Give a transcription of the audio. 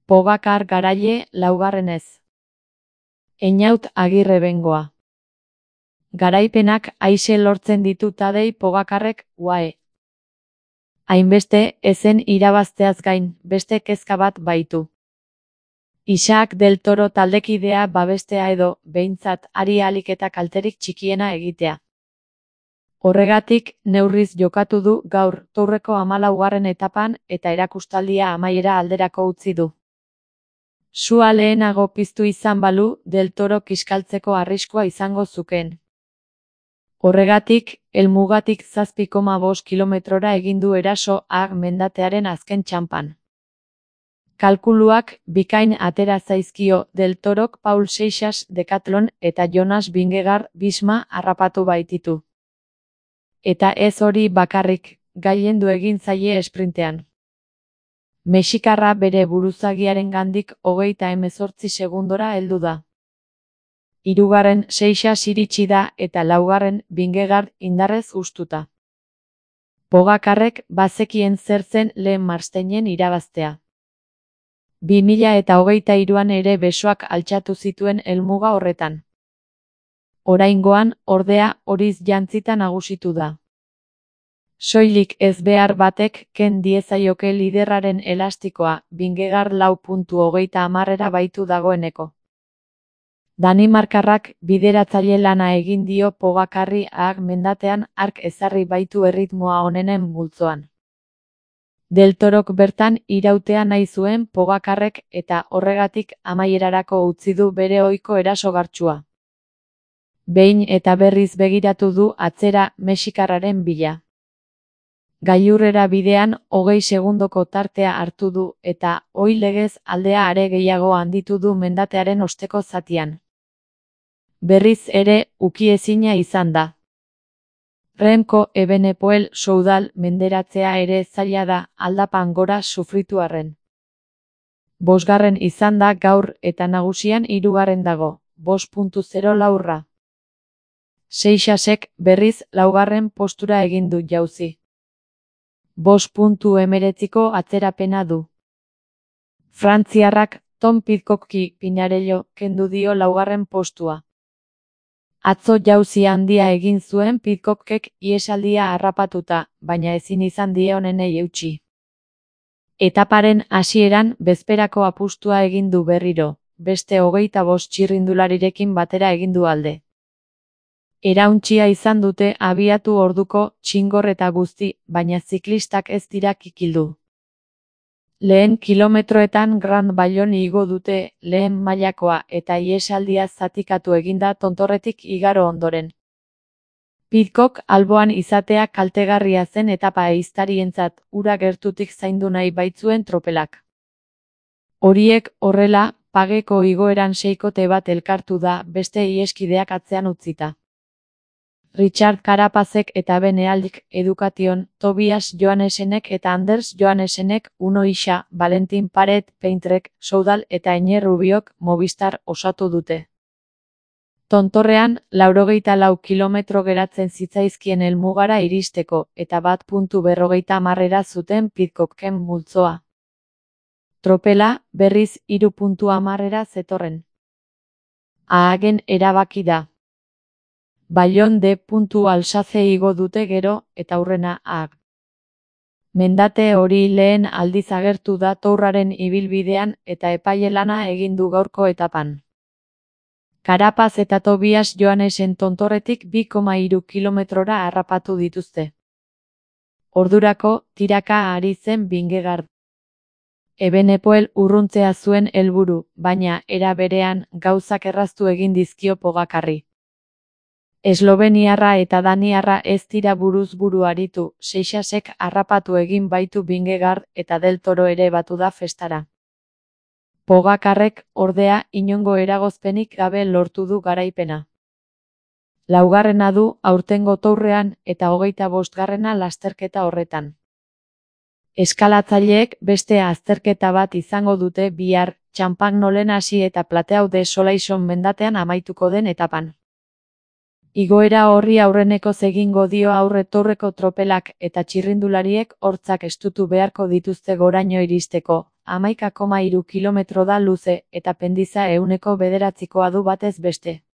Pogacar Garaile, laugarrenez. Einaut Agirre Bengoa. Garaipenak aise lortzen ditu Tadej Pogacarrek, UAE. Hainbeste, ezen irabazteaz gain, beste kezka bat baitu. Isaac del Toro taldekidea babestea edo, behintzat, ari ahalik eta kalterik txikiena egitea. Horregatik, neurriz jokatu du gaur Tourreko 14. etapan eta erakustaldia amaiera alderako utzi du. Sua lehenago piztu izan balu, del Toro kiskaltzeko arriskua izango zukeen. Horregatik, helmugatik 7,5 kilometrora egin du eraso Haag mendatearen azken txanpan. Kalkuluak bikain atera zaizkio del Torok Paul Seixas Decathlon eta Jonas Vingegaard Visma harrapatu baititu. Eta ez hori bakarrik, gailendu egin zaie esprintean. Mexikarra bere buruzagiarengandik 38 segundora heldu da. 3. Seixas iritsi da eta 4. Vingegaard indarrez hustuta. Pogacarrek bazekien zer zen lehen Marsteinen irabaztea. 2023an ere besoak altxatu zituen helmuga horretan. Oraingoan, ordea, horiz jantzita nagusitu da. Soilik ez behar batek ken diezaioke liderraren elastikoa, Vingegaard 4:30 baitu dagoeneko. Danimarkarrak bideratzaile lana egin dio Pogacarri Haag mendatean hark ezarri baitu erritmoa onenen multzoan. Del Torok bertan irautea nahi zuen Pogacarrek eta horregatik amaierarako utzi du bere ohiko erasogartsua. Behin eta berriz begiratu du atzera mexikarraren bila. Gailurrera bidean 20 segundoko tartea hartu du eta ohi legez aldea are gehiago handitu du mendatearen osteko zatian. Berriz ere, ukiezina izan da. Remco Evenepoel Soudal menderatzea ere zaila da aldapan gora sufritu arren. 5. izan da gaur eta nagusian 3. dago, 5.0 laurra. Seixasek berriz 4. postura egin du jauzi. 5.19ko atzerapena du. Frantziarrak Tom Pidcocki Pinarello kendu dio 4. postua. Atzo jauzi handia egin zuen Pidcockek ihesaldia harrapatuta, baina ezin izan die onenei eutsi. Etaparen hasieran bezperako apustua egin du berriro, beste 25 txirrindularirekin batera egin du alde. Erauntsia izan dute abiatu orduko txingor eta guzti, baina ziklistak ez dira kikildu. Lehen kilometroetan Grand Baillon igo dute lehen mailakoa eta ihesaldia zatikatu eginda tontorretik igaro ondoren. Pidcock alboan izatea kaltegarria zen etapa ehiztarientzat ura gertutik zaindu nahi baitzuen tropelak. Horiek horrela, pageko igoeran seikote bat elkartu da beste iheskideak atzean utzita. Richard Carapazek eta Ben Ealdik Education, Tobias Johannesenek eta Anders Johannesenek Uno Isa, Valentin Paret Peintrek, Soudal eta Eñe Rubiok Movistar osatu dute. Tontorrean, 84 kilometro geratzen zitzaizkien helmugara iristeko eta 1.50 zuten Pidcocken multzoa. Tropela, berriz 3.10 zetorren. Haagen erabaki da. Baillon de Alsace igo dute gero, eta hurrena Haag. Mendate hori lehen aldiz agertu da Tourraren ibilbidean eta epaile lana egin du gaurko etapan. Carapaz eta Tobias Johannesen tontorretik 2,3 kilometrora harrapatu dituzte. Ordurako, tiraka ari zen Vingegaard. Evenepoel urruntzea zuen helburu, baina era berean gauzak erraztu egin dizkio Pogacarri. Esloveniarra eta daniarra ez dira buruz buru aritu, Seixasek harrapatu egin baitu Vingegaard eta del Toro ere batu da festara. Pogacarrek, ordea, inongo eragozpenik gabe lortu du garaipena. 4. du aurtengo Tourrean eta 25. lasterketa horretan. Eskalatzaileek beste azterketa bat izango dute bihar, Champagnolen hasi eta Plateau de Solaison mendatean amaituko den etapan. Igoera horri aurrenekoz egingo dio aurre Tourreko tropelak eta txirrindulariek hortzak estutu beharko dituzte goraino iristeko, 11,3 kilometro da luze, eta pendiza 9%koa du batez beste.